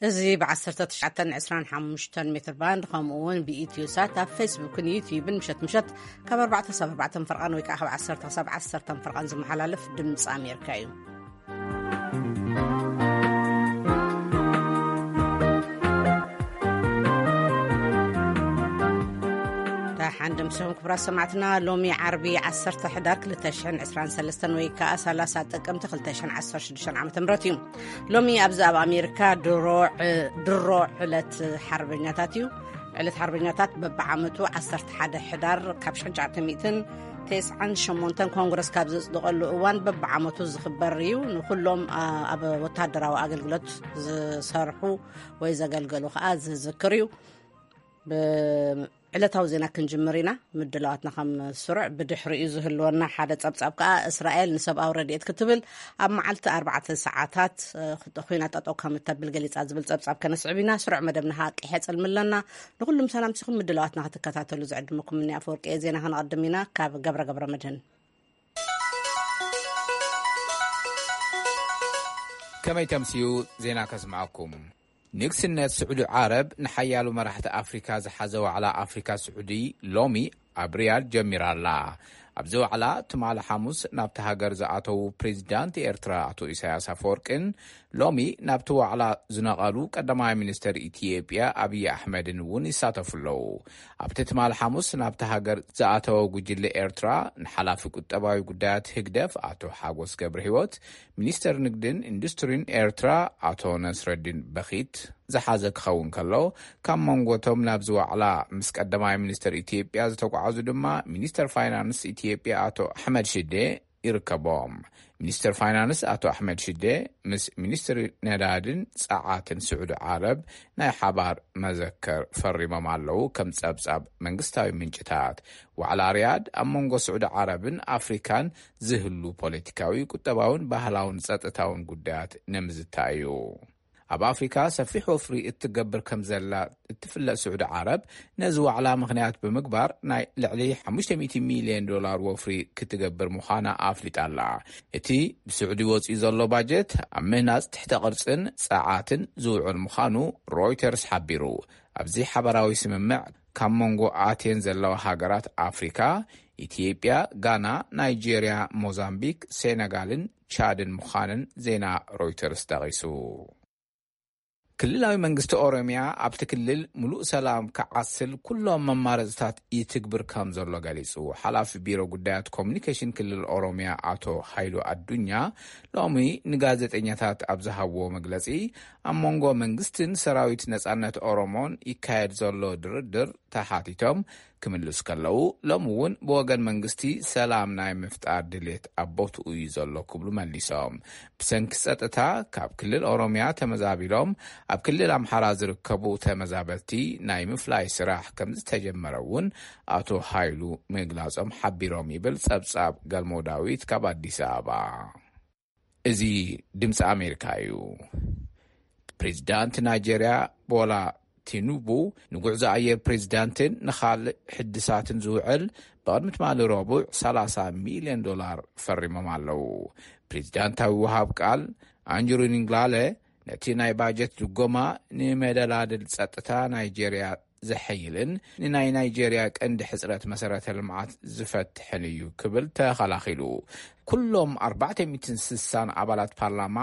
እዚ ብ1925 ሜትር ባንድ፣ ከምኡ እውን ብኢትዮ ሳት ኣብ ፌስቡክን ዩትዩብን ምሸት ምሸት ካብ ኣርባዕተ ክሳብ ኣርባዕተ ፈርቓን ወይ ከዓ ካብ ዓሰርተ ክሳብ ዓሰርተ ፈርቓን ዝመሓላለፍ ድምፂ ኣሜሪካ እዩ። ደሓን ደምሲኹም ክቡራት ሰማዕትና። ሎሚ ዓርቢ ዓሰርተ ሕዳር ክልተ ሽሕን ዕስራን ሰለስተን ወይ ከዓ ሰላሳ ጥቅምቲ ክልተ ሽሕን ዓሰርተ ሽዱሽተን ዓመተ ምህረት እዩ። ሎሚ ኣብዚ ኣብ ኣሜሪካ ድሮ ዕ-፣ ድሮ ዕለት ሓርበኛታት እዩ። ዕለት ሓርበኛታት በብዓመቱ ዓሰርተ ሓደ ሕዳር ካብ ሽሕን ትሽዓተ ሚእትን ተስዓን ሸሞንተን ኮንግረስ ካብ ዘጽድቐሉ እዋን በብዓመቱ ዝኽበር እዩ። ንኹሎም፣ ኣ-፣ ኣብ ወታደራዊ ኣገልግሎት ዝሰርሑ ወይ ዘገልገሉ ከዓ ዝዝክር እዩ። ብዕለታዊ ዜና ክንጅምር ኢና። ምድላዋትና ከም ስሩዕ ብድሕሪኡ ዝህልወና ሓደ ጸብጻብ ከኣ፣ እስራኤል ንሰብኣዊ ረድኤት ክትብል ኣብ መዓልቲ ኣርባዕተ ሰዓታት፣ እ፣ ኹ-፣ ኹናት ጠጠው ከም እተብል ገሊጻ ዝብል ጸብጻብ ከነስዕብ ኢና። ስሩዕ መደብና ከኣ ቀይሕ ጽልሚ ኣለና። ንኹሉም ሰላም ሲኹም ምድላዋትና ክትከታተሉ ዝዕድመኩም እኒ ኣፈወርቂ እየ። ዜና ከነቐድም ኢና። ካብ ገብረ ገብረ መድህን። ከመይ ተምስዩ ዜና ከስምዓኩም። ንግስነት ስዑዲ ዓረብ ንሓያሎ መራሕቲ ኣፍሪካ ዝሓዘ ዋዕላ ኣፍሪካ ስዑዲ ሎሚ ኣብ ሪያድ ጀሚራ ኣላ። ኣብዚ ዋዕላ ትማሊ ሓሙስ ናብቲ ሃገር ዝኣተዉ ፕሬዚዳንት ኤርትራ ኣቶ ኢሳያስ ኣፈወርቅን ሎሚ ናብቲ ዋዕላ ዝነቐሉ ቀዳማይ ሚኒስተር ኢትዮጵያ ኣብይ ኣሕመድን እውን ይሳተፉ ኣለዉ። ኣብቲ ትማሊ ሓሙስ ናብቲ ሃገር ዝኣተወ ጉጅለ ኤርትራ ንሓላፊ ቁጠባዊ ጉዳያት ህግደፍ ኣቶ ሓጎስ ገብረ ህይወት፣ ሚኒስተር ንግድን ኢንዱስትሪን ኤርትራ ኣቶ ነስረዲን በኺት ዝሓዘ ክኸውን ከሎ፣ ካብ መንጎቶም ናብዚ ዋዕላ ምስ ቀዳማይ ሚኒስተር ኢትዮጵያ ዝተጓዓዙ ድማ ሚኒስተር ፋይናንስ ኢትዮጵያ ኣቶ ኣሕመድ ሽዴ ይርከቦም። ሚኒስተር ፋይናንስ ኣቶ ኣሕመድ ሽዴ ምስ ሚኒስትሪ ነዳድን ጸዓትን ስዑዲ ዓረብ ናይ ሓባር መዘከር ፈሪሞም ኣለዉ፣ ከም ጸብጻብ መንግስታዊ ምንጭታት። ዋዕላ ሪያድ ኣብ መንጎ ስዑዲ ዓረብን ኣፍሪካን ዝህሉ ፖለቲካዊ፣ ቁጠባውን ባህላውን ጸጥታውን ጉዳያት ንምዝታይ እዩ። ኣብ ኣፍሪካ ሰፊሕ ወፍሪ እትገብር ከም ዘላ እትፍለጥ ስዑዲ ዓረብ፣ ነዚ ዋዕላ ምኽንያት ብምግባር ናይ ልዕሊ ሓሙሽተ ሚእቲ ሚልዮን ዶላር ወፍሪ ክትገብር ምዃና ኣፍሊጣ ኣላ። እቲ ብስዑዲ ወፂኡ ዘሎ ባጀት ኣብ ምህናፅ ትሕተ ቅርፅን ፀዓትን ዝውዕል ምዃኑ ሮይተርስ ሓቢሩ። ኣብዚ ሓበራዊ ስምምዕ ካብ መንጎ ኣትየን ዘለዋ ሃገራት ኣፍሪካ፣ ኢትዮጵያ፣ ጋና፣ ናይጄርያ፣ ሞዛምቢክ፣ ሴነጋልን ቻድን ምዃንን ዜና ሮይተርስ ጠቒሱ። ክልላዊ መንግስቲ ኦሮሚያ ኣብቲ ክልል ምሉእ ሰላም ክዓስል ኩሎም መማረፅታት ይትግብር ከም ዘሎ ገሊጹ። ሓላፊ ቢሮ ጉዳያት ኮሙኒኬሽን ክልል ኦሮሚያ ኣቶ ሃይሉ ኣዱኛ ሎሚ ንጋዜጠኛታት ኣብ ዝሃብዎ መግለጺ፣ ኣብ መንጎ መንግስትን ሰራዊት ነጻነት ኦሮሞን ይካየድ ዘሎ ድርድር ተሓቲቶም ክምልሱ ከለዉ፣ ሎሚ እውን ብወገን መንግስቲ ሰላም ናይ ምፍጣር ድሌት ኣብ ቦትኡ እዩ ዘሎ ክብሉ መሊሶም። ብሰንኪ ጸጥታ ካብ ክልል ኦሮሚያ ተመዛቢሎም ኣብ ክልል ኣምሓራ ዝርከቡ ተመዛበልቲ ናይ ምፍላይ ስራሕ ከም ዝተጀመረ እውን ኣቶ ሃይሉ ምግላጾም ሓቢሮም ይብል ጸብጻብ ገልሞ ዳዊት ካብ ኣዲስ ኣበባ። እዚ ድምፂ ኣሜሪካ እዩ። ፕሬዚዳንት ናይጄርያ ቦላ ቲኑቡ ንጉዕዞ ኣየር ፕሬዚዳንትን ንኻልእ ሕድሳትን ዝውዕል ብቕድሚ ትማሊ ረቡዕ ሰላሳ ሚልዮን ዶላር ፈሪሞም ኣለዉ። ፕሬዚዳንታዊ ወሃብ ቃል ኣንጅሩ ንግላለ ነቲ ናይ ባጀት ድጎማ ንመደላድል ጸጥታ ናይጄርያ ዘሐይልን ንናይ ናይጄርያ ቀንዲ ሕጽረት መሰረተ ልምዓት ዝፈትሕን እዩ ክብል ተኸላኺሉ። ኩሎም ኣርባዕተ ሚእትን ስሳን ኣባላት ፓርላማ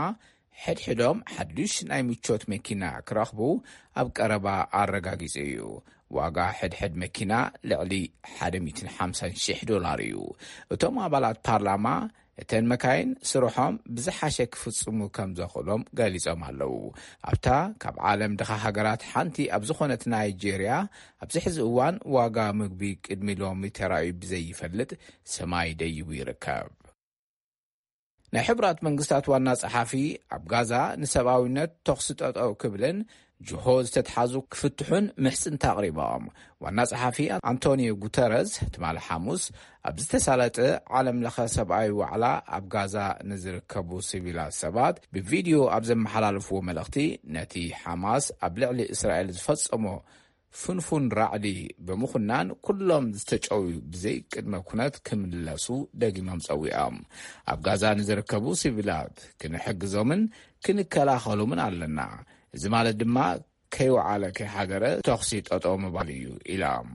ሕድሕዶም ሓዱሽ ናይ ምቾት መኪና ክረኽቡ ኣብ ቀረባ ኣረጋጊጹ እዩ። ዋጋ ሕድሕድ መኪና ልዕሊ ሓደ ሚእትን ሓምሳን ሽሕ ዶላር እዩ። እቶም ኣባላት ፓርላማ እተን መካይን ስርሖም ብዝሓሸ ክፍጽሙ ከም ዘኽእሎም ገሊጾም ኣለዉ። ኣብታ ካብ ዓለም ድኻ ሃገራት ሓንቲ ኣብ ዝኾነት ናይጄርያ ኣብዚ ሕዚ እዋን ዋጋ ምግቢ ቅድሚ ሎሚ ተራእዩ ብዘይፈልጥ ሰማይ ደይቡ ይርከብ። ናይ ሕቡራት መንግስታት ዋና ጸሓፊ ኣብ ጋዛ ንሰብኣዊነት ተኹሲ ጠጠው ክብልን ጅሆ ዝተትሓዙ ክፍትሑን ምሕጽንታ ኣቕሪቦም። ዋና ጸሓፊ ኣንቶኒዮ ጉተረዝ ትማሊ ሓሙስ ኣብ ዝተሳለጠ ዓለም ለኸ ሰብኣዊ ዋዕላ ኣብ ጋዛ ንዝርከቡ ሲቪላት ሰባት ብቪድዮ ኣብ ዘመሓላለፍዎ መልእኽቲ፣ ነቲ ሓማስ ኣብ ልዕሊ እስራኤል ዝፈጸሞ ፍንፉን ራዕዲ ብምኹናን ኩሎም ዝተጨውዩ ብዘይ ቅድመ ኩነት ክምለሱ ደጊሞም ጸዊዖም። ኣብ ጋዛ ንዝርከቡ ሲቪላት ክንሕግዞምን ክንከላኸሎምን ኣለና። እዚ ማለት ድማ ከይወዓለ ከይሓደረ ተኹሲ ጠጠው ምባል እዩ ኢሎም።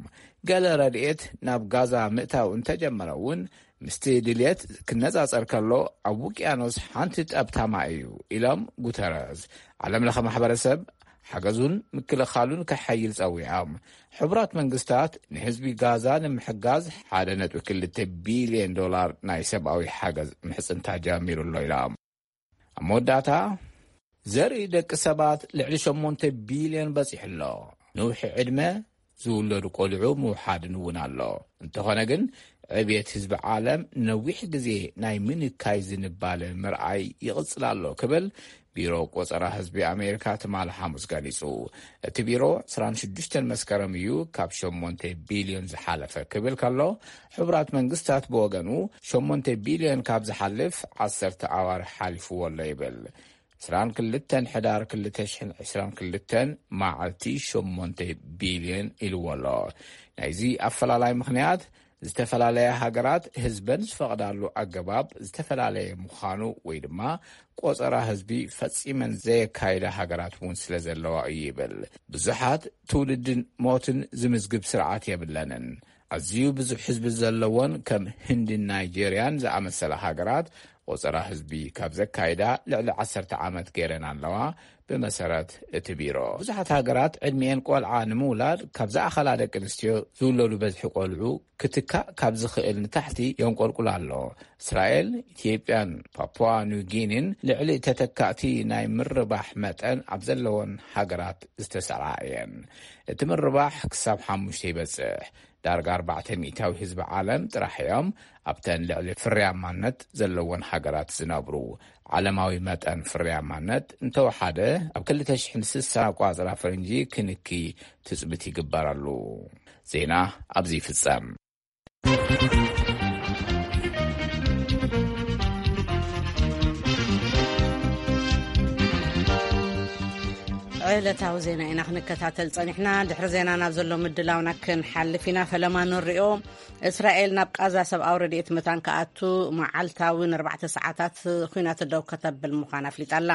ገለ ረድኤት ናብ ጋዛ ምእታው እንተጀመረ እውን ምስቲ ድልየት ክነጻጸር ከሎ ኣብ ውቅያኖስ ሓንቲ ጠብታ ማይ እዩ ኢሎም ጉተረዝ። ዓለም ለኸ ማሕበረሰብ ሓገዙን ምክልኻሉን ከሐይል ጸዊዖም። ሕቡራት መንግስታት ንህዝቢ ጋዛ ንምሕጋዝ ሓደ ነጥቢ ክልተ ቢልዮን ዶላር ናይ ሰብኣዊ ሓገዝ ምሕጽንታ ጀሚሩ ኣሎ ኢሎም። ኣብ መወዳእታ ዘርኢ ደቂ ሰባት ልዕሊ ሸሞንተ ቢልዮን በጺሑ ኣሎ። ንውሒ ዕድመ ዝውለዱ ቆልዑ ምውሓድን እውን ኣሎ። እንተኾነ ግን ዕብየት ህዝቢ ዓለም ነዊሕ ግዜ ናይ ምንካይ ዝንባለ ምርኣይ ይቕጽል ኣሎ ክብል ቢሮ ቆጸራ ህዝቢ ኣሜሪካ ትማሊ ሓሙስ ገሊጹ። እቲ ቢሮ ዕስራን ሽዱሽተን መስከረም እዩ ካብ ሸሞንተ ቢልዮን ዝሓለፈ ክብል ከሎ፣ ሕቡራት መንግስታት ብወገኑ ሸሞንተ ቢልዮን ካብ ዝሓልፍ ዓሰርተ ኣዋርሕ ሓሊፍዎ ኣሎ ይብል። ዕስራን ክልተን ሕዳር ክልተ ሽሕን ዕስራን ክልተን መዓልቲ ሸሞንተ ቢልዮን ኢልዎ ኣሎ። ናይዚ ኣፈላላይ ምኽንያት ዝተፈላለያ ሃገራት ህዝበን ዝፈቕዳሉ ኣገባብ ዝተፈላለየ ምዃኑ ወይ ድማ ቆጸራ ህዝቢ ፈጺመን ዘየካይዳ ሃገራት እውን ስለ ዘለዋ እዩ ይብል። ብዙሓት ትውልድን ሞትን ዝምዝግብ ስርዓት የብለንን። ኣዝዩ ብዙሕ ህዝቢ ዘለዎን ከም ህንድን ናይጄርያን ዝኣመሰላ ሃገራት ቆጸራ ህዝቢ ካብ ዘካይዳ ልዕሊ ዓሰርተ ዓመት ገይረን ኣለዋ። ብመሰረት እቲ ቢሮ ብዙሓት ሃገራት ዕድሚኤን ቆልዓ ንምውላድ ካብ ዝኣኸላ ደቂ ኣንስትዮ ዝውለዱ በዝሒ ቆልዑ ክትካእ ካብ ዝኽእል ንታሕቲ የንቆልቁል ኣሎ። እስራኤል፣ ኢትዮጵያን ፓፑዋ ኒው ጊኒን ልዕሊ ተተካእቲ ናይ ምርባሕ መጠን ኣብ ዘለወን ሃገራት ዝተሰርዓ እየን። እቲ ምርባሕ ክሳብ ሓሙሽተ ይበጽሕ። ዳርጋ ኣርባዕተ ሚእታዊ ህዝቢ ዓለም ጥራሕ እዮም ኣብተን ልዕሊ ፍርያማነት ዘለወን ሃገራት ዝነብሩ። ዓለማዊ መጠን ፍርያማነት እንተወሓደ ኣብ ክልተ ሽሕን ስሳን ኣቋጽራ ፈረንጂ ክንኪ ትጽቢት ይግበረሉ። ዜና ኣብዚ ይፍጸም። ዕለታዊ ዜና ኢና ክንከታተል ጸኒሕና። ድሕሪ ዜና ናብ ዘሎ ምድላውና ክንሓልፍ ኢና። ፈለማ ንሪኦ። እስራኤል ናብ ቃዛ ሰብኣዊ ረድኤት መታን ክኣቱ መዓልታዊ ንኣርባዕተ ሰዓታት ኲናት ደው ከተብል ምዃና ኣፍሊጣ ኣላ።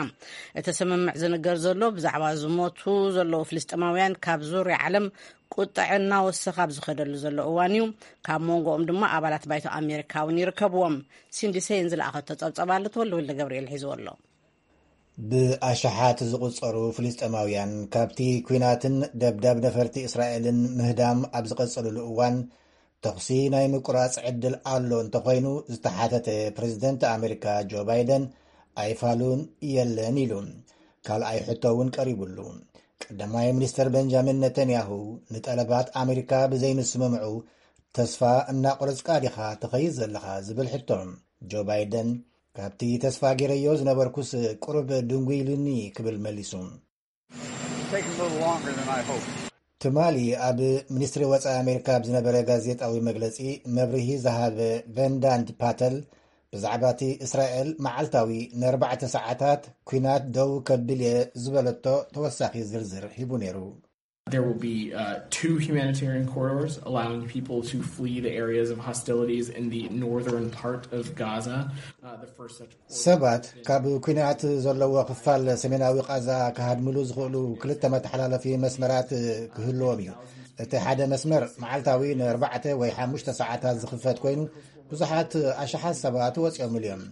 እቲ ስምምዕ ዝንገር ዘሎ ብዛዕባ ዝሞቱ ዘለዉ ፍልስጤማውያን ካብ ዙርያ ዓለም ቁጥዐ እናወሰኸ ኣብ ዝኸደሉ ዘሎ እዋን እዩ። ካብ መንጎኦም ድማ ኣባላት ባይቶ ኣሜሪካ እውን ይርከብዎም። ሲንዲ ሴን ዝለኣኸቶ ጸብጸብ ኣሎ፣ ተወልደ ወልደ ገብርኤል ሒዝዎ ኣሎ። ብኣሽሓት ዝቑጸሩ ፍልስጤማውያን ካብቲ ኲናትን ደብዳብ ነፈርቲ እስራኤልን ምህዳም ኣብ ዝቐጸሉሉ እዋን፣ ተኹሲ ናይ ምቁራጽ ዕድል ኣሎ እንተኾይኑ ዝተሓተተ ፕረዚደንት ኣሜሪካ ጆ ባይደን፣ ኣይፋሉን የለን ኢሉ። ካልኣይ ሕቶ እውን ቀሪቡሉ። ቀዳማይ ሚኒስተር ቤንጃሚን ነተንያሁ፣ ንጠለባት ኣሜሪካ ብዘይምስምምዑ ተስፋ እናቆረጽካ ዲኻ ትኸይድ ዘለኻ ዝብል ሕቶ፣ ጆ ባይደን፣ ካብቲ ተስፋ ገይረዮ ዝነበርኩስ ቁሩብ ድንጉይ ኢሉኒ ክብል መሊሱ። Taking a little longer than I hoped. ትማሊ ኣብ ሚኒስትሪ ወጻኢ ኣሜሪካ ኣብ ዝነበረ ጋዜጣዊ መግለጺ መብርሂ ዝሃበ ቬንዳንት ፓተል፣ ብዛዕባ እቲ እስራኤል መዓልታዊ ንኣርባዕተ ሰዓታት ኲናት ደው ከብል እየ ዝበለቶ ተወሳኺ ዝርዝር ሂቡ ነይሩ። There will be uh, two humanitarian corridors allowing people to flee the areas of hostilities in the northern part of Gaza. Uh, the first such ሰባት ካብ ኲናት ዘለዎ ክፋል ሰሜናዊ ቃዛ ክሃድምሉ ዝኽእሉ ክልተ መተሓላለፊ መስመራት ክህልዎም እዩ። እቲ ሓደ መስመር መዓልታዊ ንኣርባዕተ ወይ ሓሙሽተ ሰዓታት ዝኽፈት ኮይኑ፣ ብዙሓት ኣሽሓት ሰባት ወፂኦምሉ እዮም።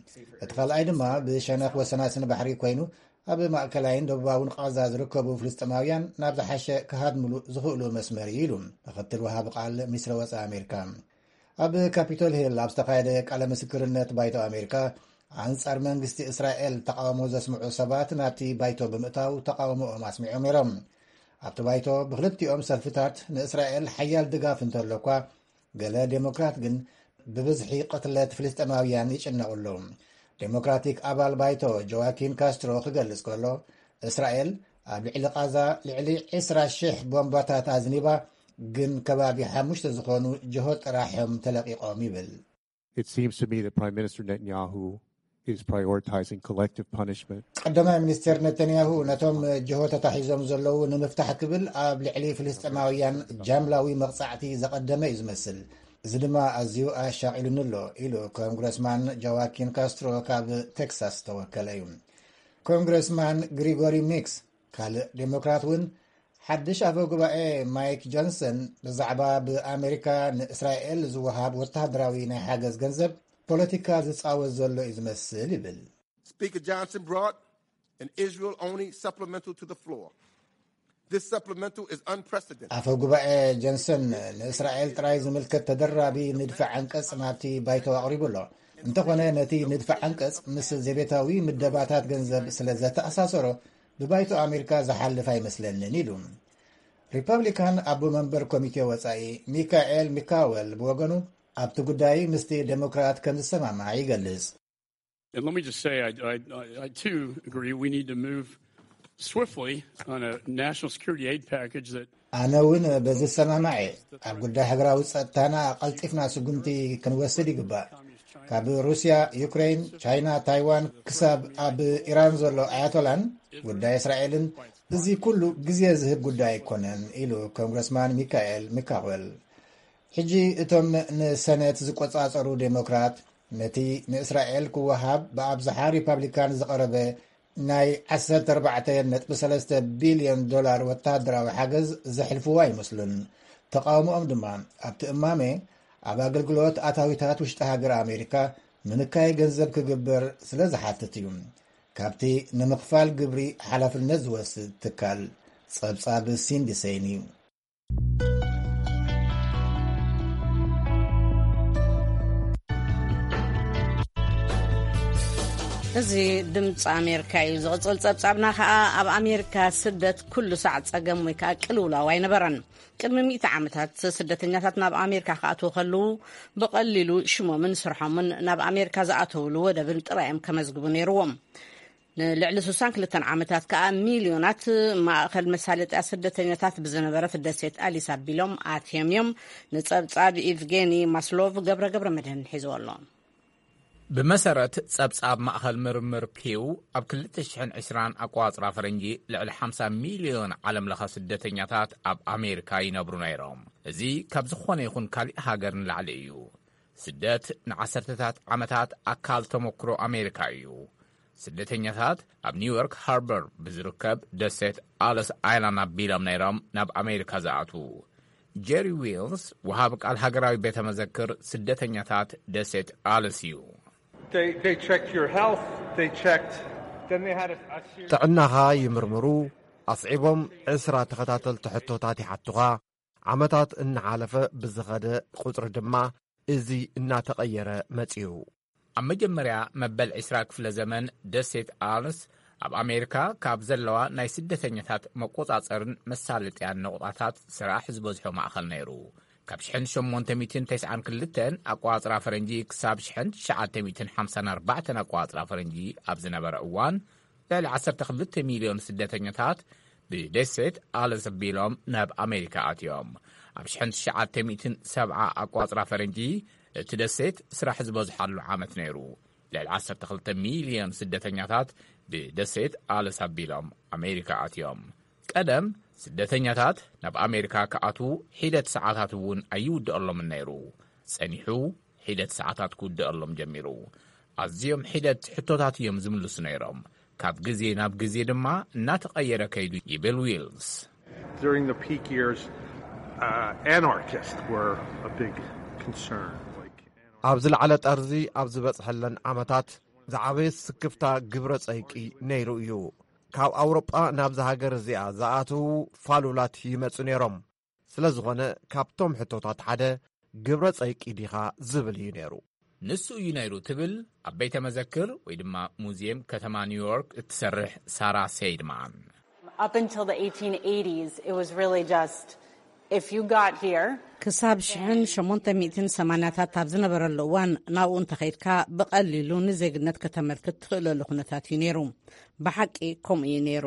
እቲ ካልኣይ ድማ ብሸነኽ ወሰናስን ባሕሪ ኮይኑ፣ ኣብ ማእከላይን ደቡባውን ቃዛ ዝርከቡ ፍልስጤማውያን ናብ ዝሓሸ ክሃድምሉ ዝኽእሉ መስመር እዩ ኢሉ ምኽትል ወሃቢ ቃል ሚኒስትሪ ወጻኢ ኣሜሪካ። ኣብ ካፒቶል ሂል ኣብ ዝተኻየደ ቃለ ምስክርነት ባይቶ ኣሜሪካ፣ ኣንጻር መንግስቲ እስራኤል ተቃውሞ ዘስምዑ ሰባት ናብቲ ባይቶ ብምእታው ተቃውሞኦም ኣስሚዖም ነይሮም። ኣብቲ ባይቶ ብክልቲኦም ሰልፍታት ንእስራኤል ሓያል ድጋፍ እንተሎ እኳ፣ ገለ ዴሞክራት ግን ብብዝሒ ቅትለት ፍልስጤማውያን ይጭነቑ ኣለዉ። ዴሞክራቲክ ኣባል ባይቶ ጆዋኪን ካስትሮ ክገልጽ ከሎ፣ እስራኤል ኣብ ልዕሊ ቃዛ ልዕሊ ዕስራ ሽሕ ቦምባታት ኣዝኒባ፣ ግን ከባቢ ሓሙሽተ ዝኾኑ ጅሆ ጥራሕ እዮም ተለቒቖም ይብል። It seems to me that Prime Minister Netanyahu is prioritizing collective punishment. ቀዳማይ ሚኒስትር ነተንያሁ ነቶም ጅሆ ተታሒዞም ዘለዉ ንምፍታሕ ክብል ኣብ ልዕሊ ፍልስጤማውያን ጃምላዊ መቕጻዕቲ ዘቐደመ እዩ ዝመስል። እዚ ድማ ኣዝዩ ኣሻቒሉኒ ኣሎ ኢሉ ኮንግረስማን ጆዋኪን ካስትሮ ካብ ቴክሳስ ዝተወከለ እዩ። ኮንግረስማን ግሪጎሪ ሚክስ ካልእ ዴሞክራት እውን ሓድሽ ኣፈ ጉባኤ ማይክ ጆንሰን ብዛዕባ ብኣሜሪካ ንእስራኤል ዝወሃብ ወተሃደራዊ ናይ ሓገዝ ገንዘብ ፖለቲካ ዝጻወት ዘሎ እዩ ዝመስል ይብል። Speaker Johnson brought an Israel only supplemental to the floor. This supplemental is unprecedented. ኣፈ ጉባኤ ጆንሰን ንእስራኤል ጥራይ ዝምልከት ተደራቢ ንድፊ ዓንቀጽ ናብቲ ባይቶ ኣቕሪቡ ኣሎ። እንተኾነ ነቲ ንድፊ ዓንቀጽ ምስ ዘቤታዊ ምደባታት ገንዘብ ስለ ዘተኣሳሰሮ ብባይቶ ኣሜሪካ ዝሓልፍ ኣይመስለንን ኢሉ። ሪፐብሊካን ኣቦ መንበር ኮሚቴ ወጻኢ ሚካኤል ሚካወል ብወገኑ ኣብቲ ጉዳይ ምስቲ ዴሞክራት ከም ዝሰማማዕ ይገልጽ። And let me just say, I, I, I too agree we need to move swiftly on a national security aid package that ኣነ እውን በዚ ዝሰማማዕ እየ። ኣብ ጉዳይ ሃገራዊ ጸጥታና ቀልጢፍና ስጉምቲ ክንወስድ ይግባእ። ካብ ሩስያ፣ ዩክሬን፣ ቻይና፣ ታይዋን ክሳብ ኣብ ኢራን ዘሎ ኣያቶላን ጉዳይ እስራኤልን፣ እዚ ኩሉ ግዜ ዝህብ ጉዳይ ኣይኮነን ኢሉ ኮንግረስማን ሚካኤል ሚካወል። ሕጂ እቶም ንሰነት ዝቆጻጸሩ ዴሞክራት ነቲ ንእስራኤል ክወሃብ ብኣብዝሓ ሪፓብሊካን ዝቐረበ ናይ ዓሰርተ ኣርባዕተ ነጥቢ ሰለስተ ቢልዮን ዶላር ወተሃደራዊ ሓገዝ ዘሕልፍዎ ኣይመስሉን። ተቓውሞኦም ድማ ኣብቲ እማመ ኣብ ኣገልግሎት ኣታዊታት ውሽጢ ሃገር ኣሜሪካ ምንካይ ገንዘብ ክግበር ስለ ዝሓትት እዩ። ካብቲ ንምኽፋል ግብሪ ሓላፍነት ዝወስድ ትካል ጸብጻብ ሲንዲ ሰይን እዩ። እዚ ድምፂ ኣሜሪካ እዩ። ዝቕፅል ፀብፃብና ከዓ ኣብ ኣሜሪካ ስደት ኩሉ ሳዕ ፀገም ወይ ከዓ ቅልውላው ኣይነበረን። ቅድሚ ሚእቲ ዓመታት ስደተኛታት ናብ ኣሜሪካ ክኣትዉ ከለዉ ብቐሊሉ ሽሞምን ስርሖምን ናብ ኣሜሪካ ዝኣተውሉ ወደብን ጥራይ እዮም ከመዝግቡ ነይርዎም። ንልዕሊ ስሳን ክልተን ዓመታት ከኣ ሚልዮናት ማእኸል መሳለጥያ ስደተኛታት ብዝነበረት ደሴት ኣሊስ ኣቢሎም ኣትዮም እዮም። ንጸብጻብ ኢቭጌኒ ማስሎቭ ገብረ ገብረ መድህን ሒዝዎ ኣሎ። ብመሰረት ጸብጻብ ማእኸል ምርምር ፒው፣ ኣብ ክልተ ሽሕን ዕስራን ኣቋጽራ ፈረንጂ ልዕሊ ሓምሳ ሚልዮን ዓለምለኸ ስደተኛታት ኣብ ኣሜሪካ ይነብሩ ነይሮም። እዚ ካብ ዝኾነ ይኹን ካሊእ ሃገር ንላዕሊ እዩ። ስደት ንዓሰርተታት ዓመታት ኣካል ተመክሮ ኣሜሪካ እዩ። ስደተኛታት ኣብ ኒውዮርክ ሃርበር ብዝርከብ ደሴት ኣለስ ኣይላንድ ኣቢሎም ነይሮም ናብ ኣሜሪካ ዝኣትዉ። ጀሪ ዊልስ፣ ወሃቢ ቃል ሃገራዊ ቤተ መዘክር ስደተኛታት ደሴት ኣለስ እዩ። They, they checked your health, they checked, then they had a, a series ጥዕናኻ ይምርምሩ፣ ኣስዒቦም ዕስራ ተኸታተልቲ ሕቶታት ይሓቱኻ። ዓመታት እናሓለፈ ብዝኸደ ቁጽሪ ድማ እዚ እናተቐየረ መጺኡ። ኣብ መጀመርያ መበል ዕስራ ክፍለ ዘመን ደሴት ኣልስ ኣብ ኣሜሪካ ካብ ዘለዋ ናይ ስደተኛታት መቆጻጸርን መሳለጥያን ነቑጣታት ስራሕ ዝበዝሖ ማእኸል ነይሩ። ካብ ሽሕን ሸሞንተ ሚእትን ተስዓን ክልተን ኣቋጽራ ፈረንጂ ክሳብ ሽሕን ትሽዓተ ሚእትን ሓምሳን ኣርባዕተን ኣቋጽራ ፈረንጂ ኣብ ዝነበረ እዋን፣ ልዕሊ ዓሰርተ ክልተ ሚልዮን ስደተኛታት ብደሴት ኣልስ ኣቢሎም ናብ ኣሜሪካ ኣትዮም። ኣብ ሽሕን ትሽዓተ ሚእትን ሰብዓ ኣቋጽራ ፈረንጂ፣ እቲ ደሴት ስራሕ ዝበዝሓሉ ዓመት ነይሩ። ልዕሊ ዓሰርተ ክልተ ሚልዮን ስደተኛታት ብደሴት ኣልስ ኣቢሎም ኣሜሪካ ኣትዮም። ቀደም ስደተኛታት ናብ ኣሜሪካ ክኣትዉ ሒደት ሰዓታት እውን ኣይውድኣሎምን ነይሩ። ጸኒሑ ሒደት ሰዓታት ክውድኣሎም ጀሚሩ። ኣዝዮም ሒደት ሕቶታት እዮም ዝምልሱ ነይሮም። ካብ ግዜ ናብ ግዜ ድማ እናተቐየረ ከይዱ ይብል ዊልስ። During the peak years, uh, anarchists were a big concern. Like, ኣብ ዝለዓለ ጠርዚ ኣብ ዝበጽሐለን ዓመታት ዝዓበየ ስክፍታ ግብረ ጸይቂ ነይሩ እዩ። ካብ ኣውሮጳ ናብዛ ሃገር እዚኣ ዝኣትዉ ፋሉላት ይመጹ ነይሮም። ስለ ዝኾነ ካብቶም ሕቶታት ሓደ ግብረ ጸይቂ ዲኻ ዝብል እዩ ነይሩ። ንሱ እዩ ነይሩ ትብል ኣብ ቤተ መዘክር ወይ ድማ ሙዚየም ከተማ ኒውዮርክ እትሰርሕ ሳራ ሴይድማን። Up until the eighteen eighties, it was really just if you got here, ክሳብ ሽሕን ሸሞንተ ሚእትን ሰማንያታት ኣብ ዝነበረሉ እዋን ናብኡ እንተኸይድካ ብቐሊሉ ንዜግነት ከተመልክት ትኽእለሉ ኩነታት እዩ ነይሩ። ብሓቂ ከምኡ እዩ ነይሩ።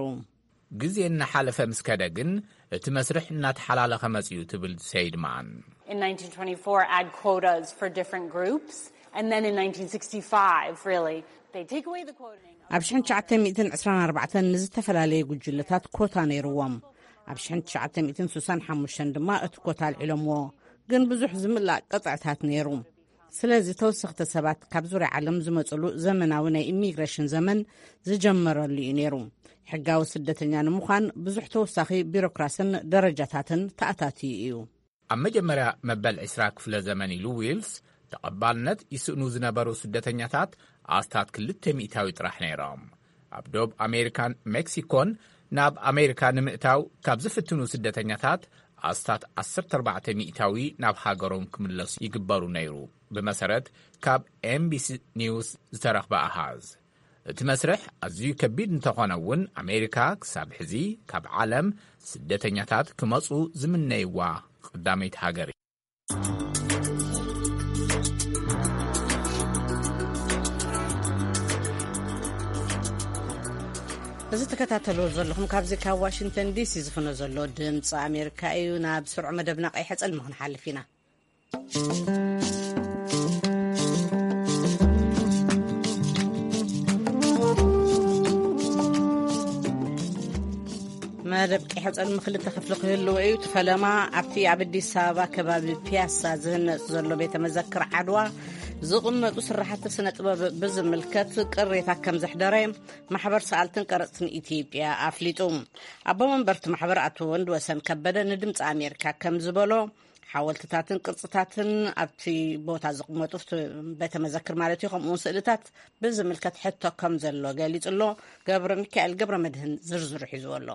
ግዜ እናሓለፈ ምስ ከደ ግን እቲ መስርሕ እናተሓላለኸ መጺኡ ትብል ሴይድማን። In nineteen twenty-four, add quotas for different groups, and then in nineteen sixty-five, really, they take away the quoting. ኣብ ሽሕን ትሽዓተ ሚእትን ዕስራን ኣርባዕተን ንዝተፈላለየ ጉጅለታት ኮታ ነይርዎም። ኣብ ሽሕን ትሽዓተ ሚእትን ስሳን ሓሙሽተን ድማ እቲ ኮታ ኣልዒሎምዎ። ግን ብዙሕ ዝምላእ ቅጥዕታት ነይሩ። ስለዚ ተወሰኽቲ ሰባት ካብ ዙርያ ዓለም ዝመጽሉ ዘመናዊ ናይ ኢሚግሬሽን ዘመን ዝጀመረሉ እዩ ነይሩ። ሕጋዊ ስደተኛ ንምዃን ብዙሕ ተወሳኺ ቢሮክራስን ደረጃታትን ተኣታትዩ እዩ። ኣብ መጀመርያ መበል ዕስራ ክፍለ ዘመን ኢሉ ዊልስ፣ ተቐባልነት ይስእኑ ዝነበሩ ስደተኛታት ኣስታት ክልተ ሚእታዊ ጥራሕ ነይሮም። ኣብ ዶብ ኣሜሪካን ሜክሲኮን ናብ ኣሜሪካ ንምእታው ካብ ዝፍትኑ ስደተኛታት ኣስታት ዓሰርተ ኣርባዕተ ሚእታዊ ናብ ሃገሮም ክምለሱ ይግበሩ ነይሩ፣ ብመሰረት ካብ ኤምቢሲ ኒውስ ዝተረኽበ ኣሃዝ። እቲ መስርሕ ኣዝዩ ከቢድ እንተኾነ እውን፣ ኣሜሪካ ክሳብ ሕዚ ካብ ዓለም ስደተኛታት ክመጹ ዝምነይዋ ቀዳመይቲ ሃገር እያ። እዚ ትከታተልዎ ዘለኹም ካብዚ ካብ ዋሽንግተን ዲሲ ዝፍኖ ዘሎ ድምፂ ኣሜሪካ እዩ። ናብ ስርዑ መደብና ቀይሐ ጸልሚ ክንሓልፍ ኢና። መደብ ቀይሐ ጸልሚ ክልተ ክፍሊ ክህልዎ እዩ። እቲ ፈለማ ኣብቲ ኣብ ኣዲስ ኣበባ ከባቢ ፒያሳ ዝህነጽ ዘሎ ቤተ መዘክር ዓድዋ ዝቕመጡ ስራሕቲ ስነ ጥበብ ብዝምልከት ቅሬታ ከም ዘሕደረ ማሕበር ሰኣልትን ቀረጽትን ኢትዮጵያ ኣፍሊጡ። ኣቦ መንበርቲ ማሕበር ኣቶ ወንድ ወሰን ከበደ ንድምፂ ኣሜሪካ ከም ዝበሎ፣ ሓወልትታትን ቅርፅታትን ኣብቲ ቦታ ዝቕመጡ፣ ቤተ መዘክር ማለት እዩ፣ ከምኡ እውን ስእልታት ብዝምልከት ሕቶ ከም ዘሎ ገሊጹ ኣሎ። ገብረ ሚካኤል ገብረ መድህን ዝርዝሩ ሒዝዎ ኣሎ።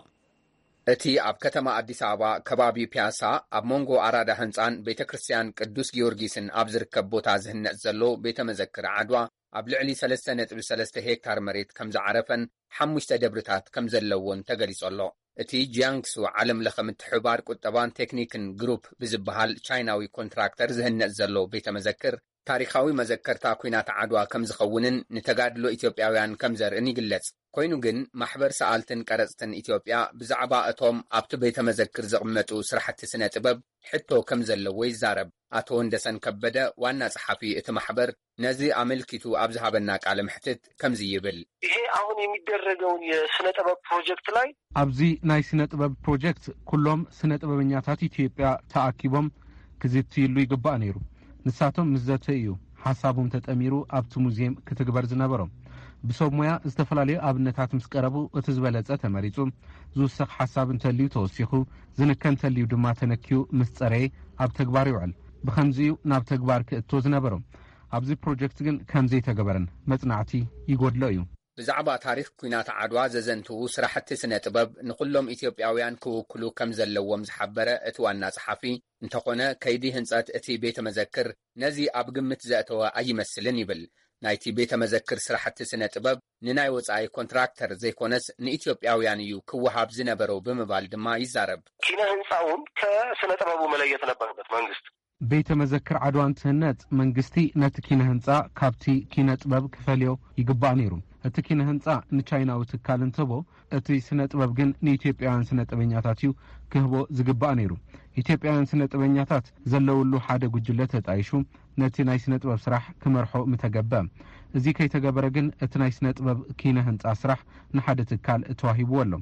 እቲ ኣብ ከተማ ኣዲስ ኣበባ ከባቢ ፒያሳ ኣብ መንጎ ኣራዳ ህንፃን ቤተ ክርስቲያን ቅዱስ ጊዮርጊስን ኣብ ዝርከብ ቦታ ዝህነጽ ዘሎ ቤተ መዘክር ዓድዋ ኣብ ልዕሊ ሰለስተ ነጥቢ ሰለስተ ሄክታር መሬት ከም ዝዓረፈን ሓሙሽተ ደብርታት ከም ዘለዎን ተገሊጹ ኣሎ። እቲ ጂያንግሱ ዓለም ለኸ ምትሕብባር ቁጠባን ቴክኒክን ግሩፕ ብዝበሃል ቻይናዊ ኮንትራክተር ዝህነጽ ዘሎ ቤተ መዘክር ታሪኻዊ መዘከርታ ኲናት ዓድዋ ከም ዝኸውንን ንተጋድሎ ኢትዮጵያውያን ከም ዘርእን ይግለጽ። ኮይኑ ግን ማሕበር ሰኣልትን ቀረጽትን ኢትዮጵያ ብዛዕባ እቶም ኣብቲ ቤተ መዘክር ዝቕመጡ ስራሕቲ ስነ ጥበብ ሕቶ ከም ዘለዎ ይዛረብ። ኣቶ ወንደሰን ከበደ ዋና ጸሓፊ እቲ ማሕበር ነዚ ኣመልኪቱ ኣብ ዝሃበና ቃለ መሕትት ከምዚ ይብል። ይሄ አሁን የሚደረገውን የስነ ጥበብ ፕሮጀክት ላይ ኣብዚ ናይ ስነ ጥበብ ፕሮጀክት ኩሎም ስነ ጥበበኛታት ኢትዮጵያ ተኣኪቦም ክዝትይሉ ይግባእ ነይሩ። ንሳቶም ምስ ዘተዩ እዩ ሓሳቦም ተጠሚሩ ኣብቲ ሙዚየም ክትግበር ዝነበሮ። ብሰብ ሞያ ዝተፈላለዩ ኣብነታት ምስ ቀረቡ እቲ ዝበለጸ ተመሪጹ፣ ዝውሰኽ ሓሳብ እንተልዩ ተወሲኹ፣ ዝንከ እንተልዩ ድማ ተነክዩ ምስ ጸረየ ኣብ ተግባር ይውዕል። ብኸምዚ እዩ ናብ ተግባር ክእቶ ዝነበሮ። ኣብዚ ፕሮጀክት ግን ከም ዘይተገበረን መጽናዕቲ ይጎድሎ እዩ። ብዛዕባ ታሪኽ ኲናት ዓድዋ ዘዘንትዉ ስራሕቲ ስነ ጥበብ ንኹሎም ኢትዮጵያውያን ክውክሉ ከም ዘለዎም ዝሓበረ እቲ ዋና ጸሓፊ፣ እንተኾነ ከይዲ ህንጸት እቲ ቤተ መዘክር ነዚ ኣብ ግምት ዘእተወ ኣይመስልን ይብል። ናይቲ ቤተ መዘክር ስራሕቲ ስነ ጥበብ ንናይ ወጻኢ ኮንትራክተር ዘይኮነስ ንኢትዮጵያውያን እዩ ክወሃብ ዝነበሮ ብምባል ድማ ይዛረብ። ኪነ ህንፃውን ከስነ ጥበቡ መለየት ነበረበት መንግስት። ቤተ መዘክር ዓድዋ እንትህነጽ መንግስቲ ነቲ ኪነ ህንጻ ካብቲ ኪነ ጥበብ ክፈልዮ ይግባእ ነይሩ። እቲ ኪነ ህንጻ ንቻይናዊ ትካል እንትህቦ፣ እቲ ስነ ጥበብ ግን ንኢትዮጵያውያን ስነ ጥበኛታት እዩ ክህቦ ዝግባእ ነይሩ። ኢትዮጵያውያን ስነ ጥበኛታት ዘለውሉ ሓደ ጉጅለ ተጣይሹ ነቲ ናይ ስነ ጥበብ ስራሕ ክመርሖ ምተገበ። እዚ ከይተገበረ ግን እቲ ናይ ስነ ጥበብ ኪነ ህንጻ ስራሕ ንሓደ ትካል ተዋሂብዎ ኣሎ።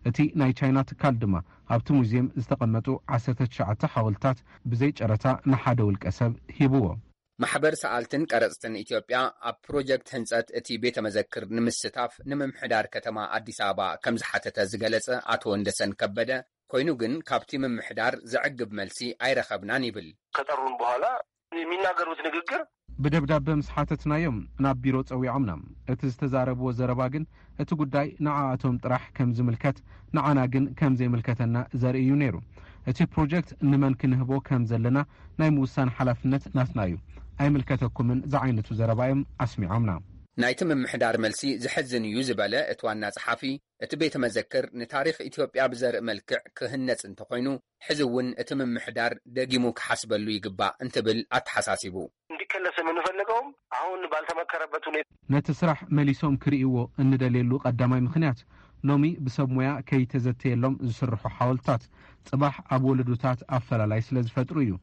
እቲ ናይ ቻይና ትካል ድማ ኣብቲ ሙዚየም ዝተቐመጡ ዓሰርተ ትሽዓተ ሓወልትታት ብዘይ ጨረታ ንሓደ ውልቀ ሰብ ሂብዎ። ማሕበር ሰኣልትን ቀረጽትን ኢትዮጵያ ኣብ ፕሮጀክት ህንጸት እቲ ቤተ መዘክር ንምስታፍ ንምምሕዳር ከተማ ኣዲስ ኣበባ ከም ዝሓተተ ዝገለጸ ኣቶ ወንደሰን ከበደ፣ ኮይኑ ግን ካብቲ ምምሕዳር ዘዕግብ መልሲ ኣይረኸብናን ይብል። ከጠሩን በኋላ የሚናገሩት ንግግር ብደብዳበ ምስ ሓተትናዮም ናብ ቢሮ ጸዊዖምና። እቲ ዝተዛረብዎ ዘረባ ግን እቲ ጉዳይ ንዓኣቶም ጥራሕ ከም ዝምልከት፣ ንዓና ግን ከም ዘይምልከተና ዘርኢ እዩ ነይሩ። እቲ ፕሮጀክት ንመን ክንህቦ ከም ዘለና ናይ ምውሳን ሓላፍነት ናትና እዩ፣ ኣይምልከተኩምን ዝዓይነቱ ዘረባ እዮም ኣስሚዖምና። ናይቲ ምምሕዳር መልሲ ዘሕዝን እዩ ዝበለ እቲ ዋና ጸሓፊ፣ እቲ ቤተ መዘክር ንታሪኽ ኢትዮጵያ ብዘርኢ መልክዕ ክህነጽ እንተኾይኑ፣ ሕዚ እውን እቲ ምምሕዳር ደጊሙ ክሓስበሉ ይግባእ እንትብል ኣተሓሳሲቡ። እንዲከለስ የምንፈልገውም አሁን ባልተመከረበት ሁኔታ ነቲ ስራሕ መሊሶም ክርእይዎ እንደልየሉ ቀዳማይ ምኽንያት፣ ሎሚ ብሰብ ሞያ ከይተዘተየሎም ዝስርሑ ሓወልትታት ጽባሕ ኣብ ወለዶታት ኣፈላላይ ስለ ዝፈጥሩ እዩ።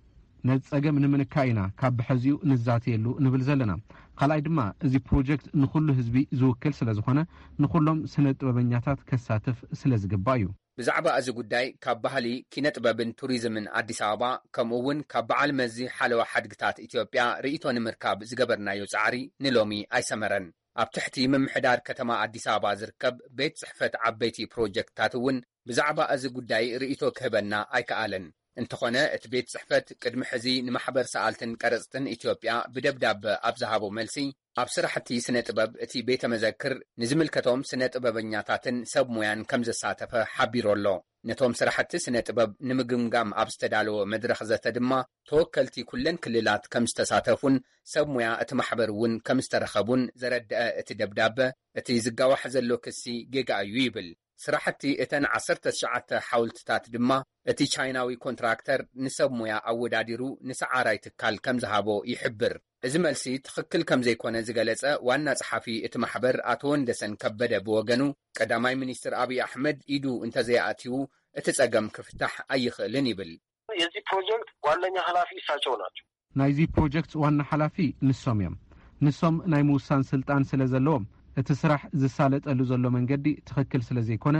ነዚ ጸገም ንምንካእ ኢና ካብ ብሐዚኡ ንዛተየሉ ንብል ዘለና። ካልኣይ ድማ፣ እዚ ፕሮጀክት ንኹሉ ህዝቢ ዝውክል ስለ ዝኾነ፣ ንኹሎም ስነ ጥበበኛታት ከሳትፍ ስለ ዝግባእ እዩ። ብዛዕባ እዚ ጉዳይ ካብ ባህሊ፣ ኪነ ጥበብን ቱሪዝምን ኣዲስ ኣበባ፣ ከምኡ እውን ካብ በዓል መዚ ሓለዋ ሓድግታት ኢትዮጵያ ርእይቶ ንምርካብ ዝገበርናዮ ጻዕሪ ንሎሚ ኣይሰመረን። ኣብ ትሕቲ ምምሕዳር ከተማ ኣዲስ ኣበባ ዝርከብ ቤት ጽሕፈት ዓበይቲ ፕሮጀክትታት እውን ብዛዕባ እዚ ጉዳይ ርእይቶ ክህበና ኣይከኣለን። እንተኾነ፣ እቲ ቤት ጽሕፈት ቅድሚ ሕዚ ንማሕበር ሰኣልትን ቀረጽትን ኢትዮጵያ ብደብዳበ ኣብ ዝሃቦ መልሲ፣ ኣብ ስራሕቲ ስነ ጥበብ እቲ ቤተ መዘክር ንዝምልከቶም ስነ ጥበበኛታትን ሰብ ሙያን ከም ዘሳተፈ ሓቢሩ ኣሎ። ነቶም ስራሕቲ ስነ ጥበብ ንምግምጋም ኣብ ዝተዳለወ መድረኽ ዘተ ድማ፣ ተወከልቲ ኩለን ክልላት ከም ዝተሳተፉን ሰብ ሙያ እቲ ማሕበር እውን ከም ዝተረኸቡን ዘረድአ እቲ ደብዳበ፣ እቲ ዝጋዋሕ ዘሎ ክሲ ጌጋ እዩ ይብል። ስራሕቲ እተን ዓሰርተ ትሽዓተ ሓውልትታት ድማ፣ እቲ ቻይናዊ ኮንትራክተር ንሰብ ሙያ ኣወዳዲሩ ንሰዓራይ ትካል ከም ዝሃቦ ይሕብር። እዚ መልሲ ትኽክል ከም ዘይኮነ ዝገለጸ ዋና ጸሓፊ እቲ ማሕበር ኣቶ ወንደሰን ከበደ ብወገኑ፣ ቀዳማይ ሚኒስትር ኣብይ ኣሕመድ ኢዱ እንተዘይኣትዩ፣ እቲ ጸገም ክፍታሕ ኣይኽእልን ይብል። የዚህ ፕሮጀክት ዋነኛ ኃላፊ እሳቸው ናቸው። ናይዚ ፕሮጀክት ዋና ሓላፊ ንሶም እዮም። ንሶም ናይ ምውሳን ስልጣን ስለ ዘለዎም፣ እቲ ስራሕ ዝሳለጠሉ ዘሎ መንገዲ ትኽክል ስለ ዘይኮነ፣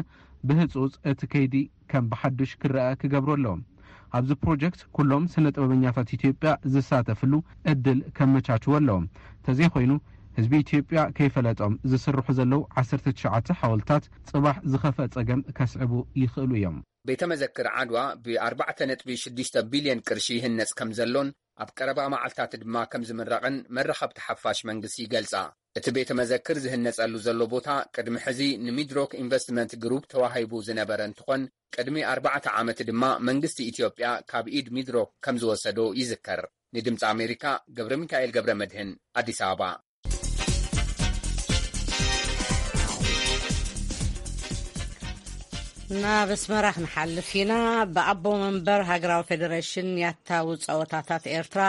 ብህጹጽ እቲ ከይዲ ከም ብሓዱሽ ክረኣ ክገብሩ ኣለዎም። ኣብዚ ፕሮጀክት ኩሎም ስነ ጥበበኛታት ኢትዮጵያ ዝሳተፍሉ ዕድል ከመቻችዎ ኣለዎም። ተዘይኮይኑ፣ ህዝቢ ኢትዮጵያ ከይፈለጦም ዝስርሑ ዘለዉ ዓሰርተ ትሽዓተ ሓወልታት ጽባሕ ዝኸፍአ ጸገም ከስዕቡ ይኽእሉ እዮም። ቤተ መዘክር ዓድዋ ብ ኣርባዕተ ነጥቢ ሽዱሽተ ቢልዮን ቅርሺ ይህነጽ ከም ዘሎን ኣብ ቀረባ መዓልታት ድማ ከም ዝምረቕን መራኸብቲ ሓፋሽ መንግስቲ ይገልጻ። እቲ ቤተ መዘክር ዝህነጸሉ ዘሎ ቦታ ቅድሚ ሕዚ ንሚድሮክ ኢንቨስትመንት ግሩፕ ተዋሂቡ ዝነበረ እንትኾን፣ ቅድሚ ኣርባዕተ ዓመት ድማ መንግስቲ ኢትዮጵያ ካብ ኢድ ሚድሮክ ከም ዝወሰዶ ይዝከር። ንድምፂ ኣሜሪካ ገብረ ሚካኤል ገብረ መድህን፣ ኣዲስ ኣበባ። ናብ ኣስመራ ክንሓልፍ ኢና። ብኣቦ መንበር ሃገራዊ ፌደሬሽን ያታዊ ጸወታታት ኤርትራ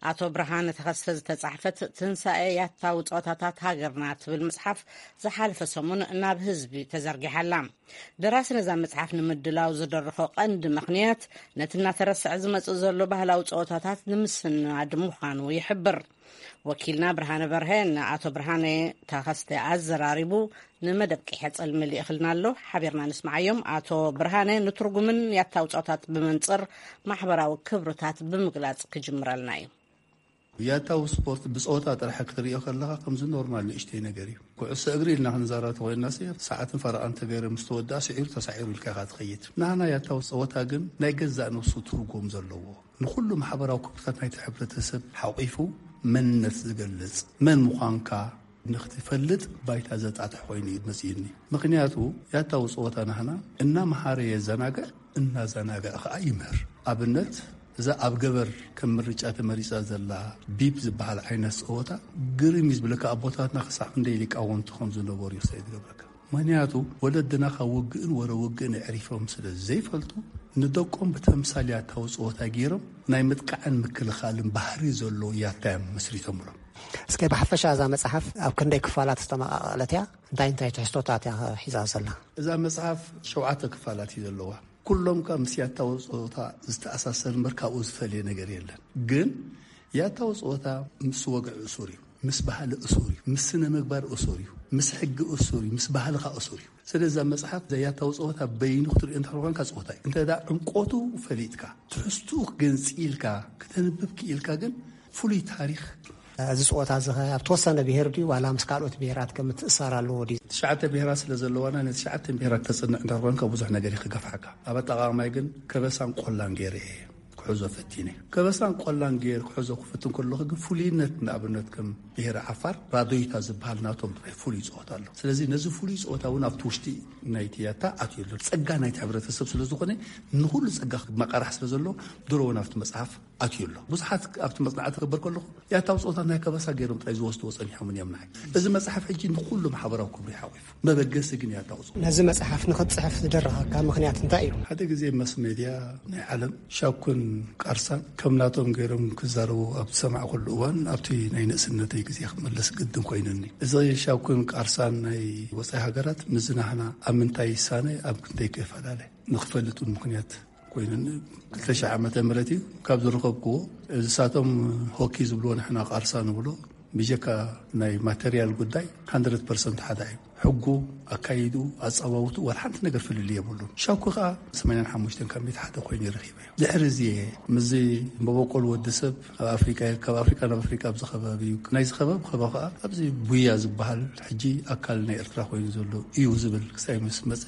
ኣቶ ብርሃነ ተኸስተ ዝተጻሕፈት ትንሳኤ ያታዊ ጸወታታት ሃገርና ትብል መጽሓፍ ዝሓለፈ ሰሙን ናብ ህዝቢ ተዘርጊሓ ኣላ። ደራሲ ነዛ መጽሓፍ ንምድላው ዝደረኾ ቀንዲ ምኽንያት ነቲ እናተረስዐ ዝመጽእ ዘሎ ባህላዊ ጸወታታት ንምስናድ ምዃኑ ይሕብር። ወኪልና ብርሃነ በርሀ ንኣቶ ብርሃነ ተኸስተ ኣዘራሪቡ ንመደብ ቀይሕ ጽልሚ ልኢኽልና ኣሎ። ሓቢርና ንስምዓዮም። ኣቶ ብርሃነ ንትርጉምን ያታዊ ጸወታት ብመንጽር ማሕበራዊ ክብርታት ብምግላጽ ክጅምረልና እዩ። ያታዊ ስፖርት ብጸወታ ጥራሕ ክትርእዮ ከለኻ ከምዚ ኖርማል ንእሽተይ ነገር እዩ። ኩዕሶ እግሪ ኢልና ክንዛረብ ተኾይንና፣ ሰዓትን ፈረቓን ተገይሩ ምስ ተወድኣ ስዒሩ ተሳዒሩ ኢልካ ኢኻ ትኸይድ። ናህና ያታዊ ጸወታ ግን ናይ ገዛእ ነብሱ ትርጉም ዘለዎ፣ ንኹሉ ማሕበራዊ ክብርታት ናይቲ ሕብረተሰብ ሓቂፉ መንነት ዝገልጽ፣ መን ምዃንካ ንኽትፈልጥ ባይታ ዘጣጥሕ ኮይኑ እዩ መጺኡኒ። ምኽንያቱ ያታዊ ጸወታ ናህና እናመሃረ የዘናግዕ፣ እናዘናግዐ ኸኣ ይምህር። ኣብነት፣ እዛ ኣብ ገበር ከም ምርጫ ተመሪጻ ዘላ ቢፕ ዝበሃል ዓይነት ጸወታ ግርም እዩ ዝብለካ። ኣቦታትና ክሳዕ ክንደይ ሊቃውንቲ ከም ዝነበሩ እዩ ክሳይ ዝገብረካ። ምኽንያቱ ወለድና ካብ ውግእን ወረ ውግእን ኣዕሪፎም ስለ ዘይፈልጡ፣ ንደቆም ብተምሳል ያታዊ ጸወታ ገይሮም ናይ ምጥቃዕን ምክልኻልን ባህሪ ዘለዎ ያታ እዮም መስሪቶምሎም። እስከ ብሓፈሻ እዛ መጽሓፍ ኣብ ክንደይ ክፋላት ዝተመቓቐለት እያ? እንታይ እንታይ ትሕዝቶታት እያ ሒዛ ዘላ? እዛ መጽሓፍ ሸውዓተ ክፋላት እዩ ዘለዋ። ኩሎም ከኣ ምስ ያታዊ ጸወታ ዝተኣሳሰር እምበር ካብኡ ዝፈልየ ነገር የለን። ግን ያታዊ ጸወታ ምስ ወግዒ እሱር እዩ፣ ምስ ባህሊ እሱር እዩ፣ ምስ ስነ ምግባር እሱር እዩ፣ ምስ ሕጊ እሱር እዩ፣ ምስ ባህልኻ እሱር እዩ። ስለዚ እዛ መጽሓፍ እዛ ያታዊ ጸወታ በይኑ ክትርእዮ እንተ ኾንካ ጸወታ እዩ። እንተ ደኣ ዕምቆቱ ፈሊጥካ፣ ትሕዝትኡ ገንጺልካ ክተንብብ ክኢልካ ግን ፍሉይ ታሪኽ። እዚ ጸወታ እዚ ኸ ኣብ ተወሰነ ብሄር ድዩ ዋላ ምስ ካልኦት ብሄራት ከ ምትእሳር ኣለዎ ድዩ? ትሽዓተ ብሄራት ስለ ዘለዋና፣ ነቲ ትሽዓተ ብሄራት ተጽንዕ እንተ ኾንካ ብዙሕ ነገር እዩ ክገፍሓካ። ኣብ ኣጠቓቕማይ ግን ከበሳን ቆላን ገይረ እየ ክሕዞ ፈቲነ። ከበሳን ቆላን ገይረ ክሕዞ ክፍትን ከለኹ ግን ፍሉይነት፣ ንኣብነት ከም ብሄረ ዓፋር ራዶይታ ዝበሃል ናቶም ጥራይ ፍሉይ ጸወታ ኣሎ። ስለዚ ነዚ ፍሉይ ጸወታ እውን ኣብቲ ውሽጢ ናይቲ ያታ ኣትዩ ኣሎ። ጸጋ ናይቲ ሕብረተሰብ ስለ ዝኾነ፣ ንኹሉ ጸጋ መቐራሕ ስለ ዘሎ፣ ድሮ እውን ኣብቲ መጽሓፍ ኣትዩ ኣሎ። ብዙሓት ኣብቲ መጽናዕቲ ክገብር ከለኹ፣ ያታዊ ጸወታ ናይ ከበሳ ገይሮም ጥራይ ዝወስድዎ ጸኒሖምን እዮም ንዓይ። እዚ መጽሓፍ ሕጂ ንኹሉ ማሕበራዊ ክብሪ ሓቑፉ። መበገሲ ግን ያታዊ ጸወታ። ነዚ መጽሓፍ ንኽትጽሕፍ ዝደረኸካ ምኽንያት እንታይ እዩ? ሓደ ግዜ መስ ሜድያ ናይ ዓለም ሻኩን ቃርሳን ከም ናቶም ገይሮም ክዛረቡ ኣብ ዝሰማዕኩሉ እዋን፣ ኣብቲ ናይ ንእስነተይ ግዜ ክመለስ ግድን ኮይኑኒ። እዚ ሻኩን ቃርሳን ናይ ወጻኢ ሃገራት ምስዚ ናህና ኣብ ምንታይ ይሳነ፣ ኣብ ክንደይ ክፈላለ ንኽፈልጥ እውን ምኽንያት ኮይኑኒ። ክልተ ሽሕ ዓመተ ምህረት እዩ ካብ ዝረኸብክዎ። እዚሳቶም ሆኪ ዝብልዎ ንሕና ቃርሳ ንብሎ፣ ብጀካ ናይ ማተርያል ጉዳይ፣ ሃንድረድ ፐርሰንት ሓደ እዩ። ሕጉ፣ ኣካይዱ፣ ኣጸዋውቱ፣ ዋላ ሓንቲ ነገር ፍልልይ የብሉን። ሻኩ ከኣ ሰማንያን ሓሙሽተን ካብ ሚእቲ ሓደ ኮይኑ ረኺበዮ። ድሕሪ እዚ ምስዚ መበቆል ወዲ ሰብ ኣብ ኣፍሪቃ፣ ካብ ኣፍሪቃ ናብ ኣፍሪቃ ኣብዚ ከባቢ እዩ። ናይዚ ከባቢ ከባ ከኣ ኣብዚ ቡያ ዝበሃል ሕጂ ኣካል ናይ ኤርትራ ኮይኑ ዘሎ እዩ ዝብል ክሳይ ምስ መጸ፣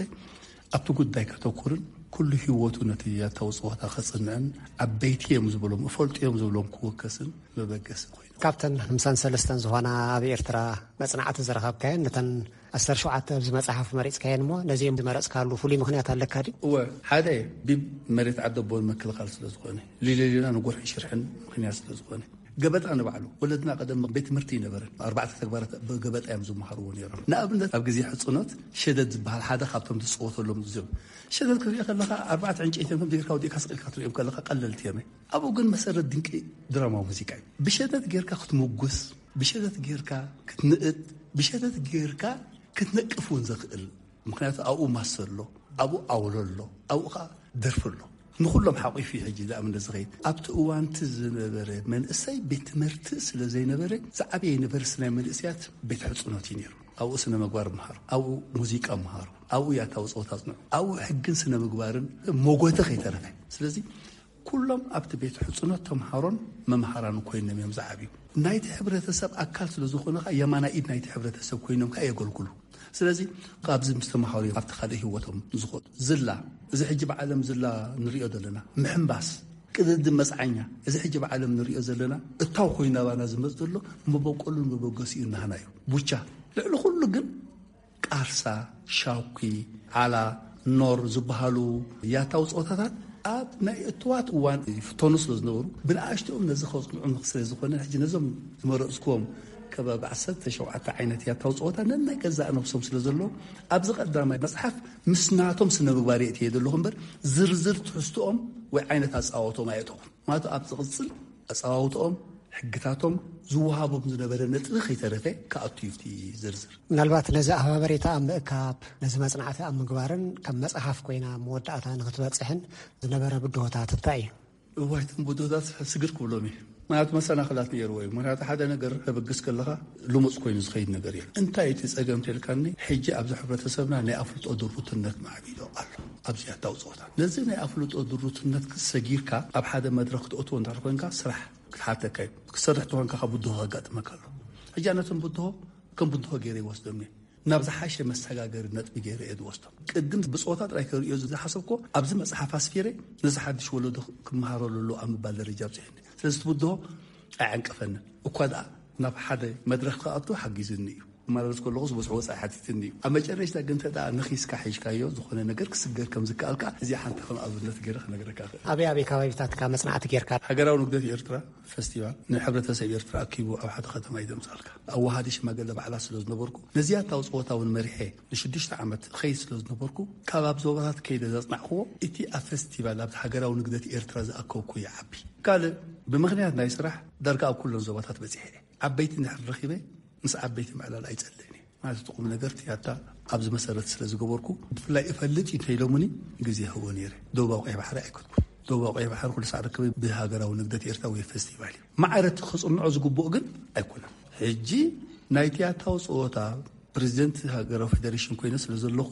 ኣብቲ ጉዳይ ከተኩርን ኩሉ ህይወቱ ነቲ ያታዊ ጸወታ ከጽንዕን፣ ዓበይቲ እዮም ዝብሎም፣ እፈልጡ እዮም ዝብሎም ክወከስን መበገሲ ኮይኑ። ካብተን ሓምሳን ሰለስተን ዝኾና ኣብ ኤርትራ መጽናዕቲ ዝረኸብካየን፣ ነተን ዓሰርተ ሸውዓተ ኣብዚ መጽሓፍ መሪጽካየን እሞ፣ ነዚኦም ዝመረጽካሉ ፍሉይ ምኽንያት ኣለካ ድዩ? እወ፣ ሓደ ቢብ መሬት ዓደቦን ምክልኻል ስለ ዝኾነ፣ ሊለሊና ንጎርሕን ሽርሕን ምኽንያት ስለ ዝኾነ፣ ገበጣ ንባዕሉ ወለድና ቀደም ቤት ትምህርቲ ይነበረን። ኣርባዕተ ተግባራት ብገበጣ እዮም ዝመሃርዎ ነይሮም። ንኣብነት ኣብ ግዜ ሕጽኖት ሸደድ ዝበሃል ሓደ ካብቶም ዝጽወተሎም እዚኦም። ሸደድ ክትሪኦ ከለኻ ኣርባዕተ ዕንጨይቲ እዮም ከምዚ ጌርካ ወዲእካ ስቕ ኢልካ ክትሪኦም ከለኻ ቀለልቲ እዮም። ኣብኡ ግን መሰረት ድንቂ ድራማዊ ሙዚቃ እዩ። ብሸደድ ጌርካ ክትምጉስ፣ ብሸደድ ጌርካ ክትንእድ፣ ብሸደድ ጌርካ ክትነቅፍ እውን ዘኽእል። ምኽንያቱ ኣብኡ ማሰ ኣሎ፣ ኣብኡ ኣውሎ ኣሎ፣ ኣብኡ ኸዓ ደርፊ ኣሎ። ንኹሎም ሓቂፉ እዩ ሕጂ ዝኣምን ዝኸይድ። ኣብቲ እዋንቲ ዝነበረ መንእሰይ ቤት ትምህርቲ ስለ ዘይነበረ፣ ዝዓበየ ዩኒቨርሲቲ ናይ መንእሰያት ቤት ሕጽኖት እዩ ነይሩ። ኣብኡ ስነ መግባር መሃሩ፣ ኣብኡ ሙዚቃ መሃሩ፣ ኣብኡ ያታዊ ጸወታ ኣጽንዑ፣ ኣብኡ ሕግን ስነ ምግባርን ሞጎተ ከይተረፈ። ስለዚ ኩሎም ኣብቲ ቤት ሕጽኖት ተምሃሮን መምሃራን ኮይኖም እዮም ዝዓብዩ። ናይቲ ሕብረተሰብ ኣካል ስለ ዝኾኑ ኸኣ የማናይ ኢድ ናይቲ ሕብረተሰብ ኮይኖም ከኣ የገልግሉ። ስለዚ ካብዚ ምስ ተምሃሩ እዮም ኣብቲ ካልእ ህይወቶም ዝኸዱ። ዝላ፣ እዚ ሕጂ ብዓለም ዝላ ንሪኦ ዘለና ምሕምባስ፣ ቅድድም መጽዓኛ፣ እዚ ሕጂ ብዓለም ንሪኦ ዘለና እታው ኮይኑ ናባና ዝመጽእ ዘሎ መበቆሉን መበገሲኡን ናህና እዩ። ቡቻ፣ ልዕሊ ኩሉ ግን ቃርሳ፣ ሻኩ፣ ዓላ፣ ኖር ዝበሃሉ ያታዊ ጸወታታት ኣብ ናይ እትዋት እዋን ይፍተኑ ስለ ዝነበሩ፣ ብንኣሽትኦም ነዚ ከጽንዑ ስለ ዝኾነ፣ ሕጂ ነዞም ዝመረጽኩዎም ከባቢ ዓሰርተ ሸውዓተ ዓይነት ያታዊ ጸወታ ነናይ ገዛእ ነብሶም ስለ ዘለዎም፣ ኣብዚ ቀዳማይ መጽሓፍ ምስ ናቶም ስነ ምግባር የእትየ ዘለኹ እምበር፣ ዝርዝር ትሕዝትኦም ወይ ዓይነት ኣጻወቶም ኣየእተኹን። ማለት ኣብ ዝቕጽል ኣጻዋውትኦም፣ ሕግታቶም፣ ዝወሃቦም ዝነበረ ነጥቢ ከይተረፈ ክኣቱ እዩ እቲ ዝርዝር። ምናልባት ነዚ ኣብ ሃበሬታ ኣብ ምእካብ፣ ነዚ መጽናዕቲ ኣብ ምግባርን ከም መጽሓፍ ኮይና መወዳእታ ንኽትበጽሕን ዝነበረ ብድሆታት እንታይ እዩ? እዋይ፣ እቶም ብድሆታት ስግር ክብሎም እዩ። ምኽንያቱ መሰናኽላት ነይርዎ እዩ። ምኽንያቱ ሓደ ነገር ተበግስ ከለኻ ልሙጽ ኮይኑ ዝኸይድ ነገር እዩ። እንታይ እቲ ጸገም ተልካኒ፣ ሕጂ ኣብዚ ሕብረተሰብና ናይ ኣፍልጦ ድሩትነት ማዕቢሉ ኣሎ። ኣብዚ ያታዊ ጸወታ ነዚ ናይ ኣፍልጦ ድሩትነት ሰጊርካ ኣብ ሓደ መድረኽ ክትእትዎ እንድሕር ኮንካ፣ ስራሕ ክትሓተካ እዩ። ክትሰርሕ ተኾንካ ካብ ብድሆ ከጋጥመካ ኣሎ። ሕጂ ኣነ እቶም ብድሆ ከም ብድሆ ገይረ ይወስዶም እየ። ናብ ዝሓሸ መሰጋገሪ ነጥቢ ገይረ እየ ዝወስዶም። ቅድም ብጾታ ጥራይ ከርእዮ ዝሓሰብኮ ኣብዚ መጽሓፍ ኣስፊረ ነዚ ሓድሽ ወለዶ ክመሃረሉ ኣለዎ ኣብ ምባል ደረጃ ኣብጽሐኒ። ስለዚ እቲ ብድሆ ኣየዕንቀፈንን። እኳ ደኣ ናብ ሓደ መድረኽ ክኣቱ ሓጊዝኒ እዩ። ክመላለስ ከለኹ ዝበዝሑ ወጻኢ ሓቲትኒ እዩ። ኣብ መጨረሽታ ግን እንተ ደኣ ነኺስካ ሒዝካዮ ዝኾነ ነገር ክስገር ከም ዝከኣል ከኣ እዚኣ ሓንቲ ከም ኣብነት ገይረ ክነግረካ እኽእል። ኣበይ ኣበይ ከባቢታት ከ መጽናዕቲ ጌርካ? ሃገራዊ ንግደት ኤርትራ ፈስቲቫል ንሕብረተሰብ ኤርትራ ኣኪቡ ኣብ ሓደ ከተማ እዩ ዘምጽኣልካ። ኣዋሃዲ ሽማግለ ባዕላ ስለ ዝነበርኩ፣ ነዚ ያታዊ ጸወታ እውን መሪሐ ንሽዱሽተ ዓመት እኸይድ ስለ ዝነበርኩ፣ ካብ ኣብ ዞባታት ከይደ ዘጽናዕክዎ፣ እቲ ኣብ ፈስቲቫል ኣብቲ ሃገራዊ ንግደት ኤርትራ ዝኣከብኩ ይዓቢ። ካልእ፣ ብምኽንያት ናይ ስራሕ ዳርጋ ኣብ ኩለን ዞባታት በጺሐ እየ። ዓበይቲ እንድሕር ረኺበ፣ ምስ ዓበይቲ ምዕላል ኣይጸልእን እየ። ማለት እቲ ቁም ነገር እቲ ያታ ኣብዚ መሰረት ስለ ዝገበርኩ፣ ብፍላይ እፈልጥ እዩ እንተኢሎምኒ ግዜ ይህቦ ነይረ። ደቡባዊ ቀይሕ ባሕሪ ኣይከድኩን። ደቡባዊ ቀይሕ ባሕሪ ኩሉ ሳዕ ርክበይ ብሃገራዊ ንግደት ኤርትራ ወይ ፈስቲቫል እዩ። ማዕረ እቲ ክጽንዖ ዝግብኦ ግን ኣይኮነን። ሕጂ ናይ ትያታዊ ጸወታ ፕሬዚደንት ሃገራዊ ፌደሬሽን ኮይነ ስለ ዘለኹ፣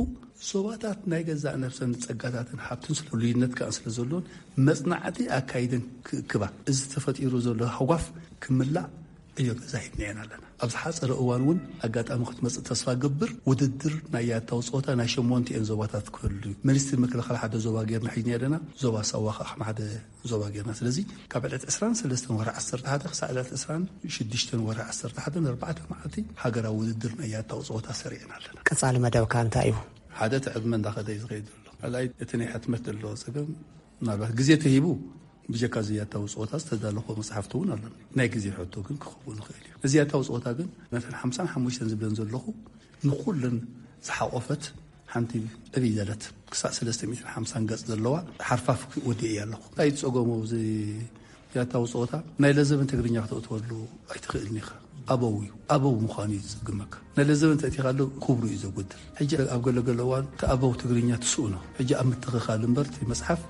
ዞባታት ናይ ገዛእ ነብሰን ጸጋታትን ሃብትን ስለ ፍሉይነት ከኣ ስለ ዘለዎን፣ መጽናዕቲ ኣካይደን ክእክባ፣ እዚ ተፈጢሩ ዘሎ ሃጓፍ ክምላእ ዕዮ ገዛ ሂብናየን ኣለና። ኣብ ዝሓጸረ እዋን እውን ኣጋጣሚ ክትመጽእ ተስፋ ገብር። ውድድር ናይ ያታዊ ጸወታ ናይ ሸሞንቲኤን ዞባታት ክህሉ እዩ። ሚኒስትሪ ምክልኻል ሓደ ዞባ ጌርና ሒዝና ኣለና። ዞባ ሳዋ ከኣ ከም ሓደ ዞባ ጌርና። ስለዚ ካብ ዕለት ዕስራን ሰለስተን ወርሒ ዓሰርተ ሓደ ክሳዕ ዕለት ዕስራን ሽዱሽተን ወርሒ ዓሰርተ ሓደ ንኣርባዕተ መዓልቲ ሃገራዊ ውድድር ናይ ያታዊ ጸወታ ሰሪዕና ኣለና። ቀጻሊ መደብካ እንታይ እዩ? ሓደ እቲ ዕድመ እንዳኸደ እዩ ዝኸይድ ዘሎ። ካልኣይ እቲ ናይ ሕትመት ዘለዎ ጸገም፣ ምናልባት ግዜ ተሂቡ ብጀካ እዚ ያታዊ ጸወታ ዝተዳለኹ መጽሓፍቲ እውን ኣሎ። ናይ ግዜ ሕቶ ግን ክኸውን ይኽእል እዩ። እዚ ያታዊ ጸወታ ግን ነተን ሓምሳን ሓሙሽተን ዝብለን ዘለኹ ንኹለን ዝሓቖፈት ሓንቲ ዕብይ ዘለት ክሳዕ ሰለስተ ሚእትን ሓምሳን ገጽ ዘለዋ ሓርፋፍ ወዲኤ እያ ኣለኹ። እንታይ ጸገሙ እዚ ያታዊ ጸወታ? ናይ ለዘብን ትግርኛ ክተእትወሉ ኣይትኽእልን ኢኻ። ኣበው እዩ። ኣበው ምዃኑ እዩ ዝጽግመካ። ናይ ለዘብን ተእቲኻሉ ክብሩ እዩ ዘጎድል። ሕጂ ኣብ ገለ ገለ እዋን እቲ ኣበው ትግርኛ ትስእኖ። ሕጂ ኣብ ምትኽኻል እምበር እቲ መጽሓፍ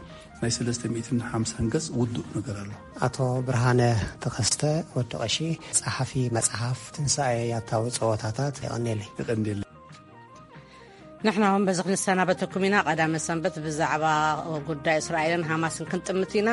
ናይ ሰለስተ ሚእትን ሓምሳን ገጽ ውዱእ ነገር ኣሎ። ኣቶ ብርሃነ ተኸስተ ወዲ ቀሺ፣ ጸሓፊ መጽሓፍ ትንሳኤ ያታዊ ጸወታታት፣ የቐኔለይ። የቐኔለይ። ንሕና እውን በዚ ክንሰናበተኩም ኢና። ቀዳመ ሰንበት ብዛዕባ ጉዳይ እስራኤልን ሃማስን ክንጥምት ኢና።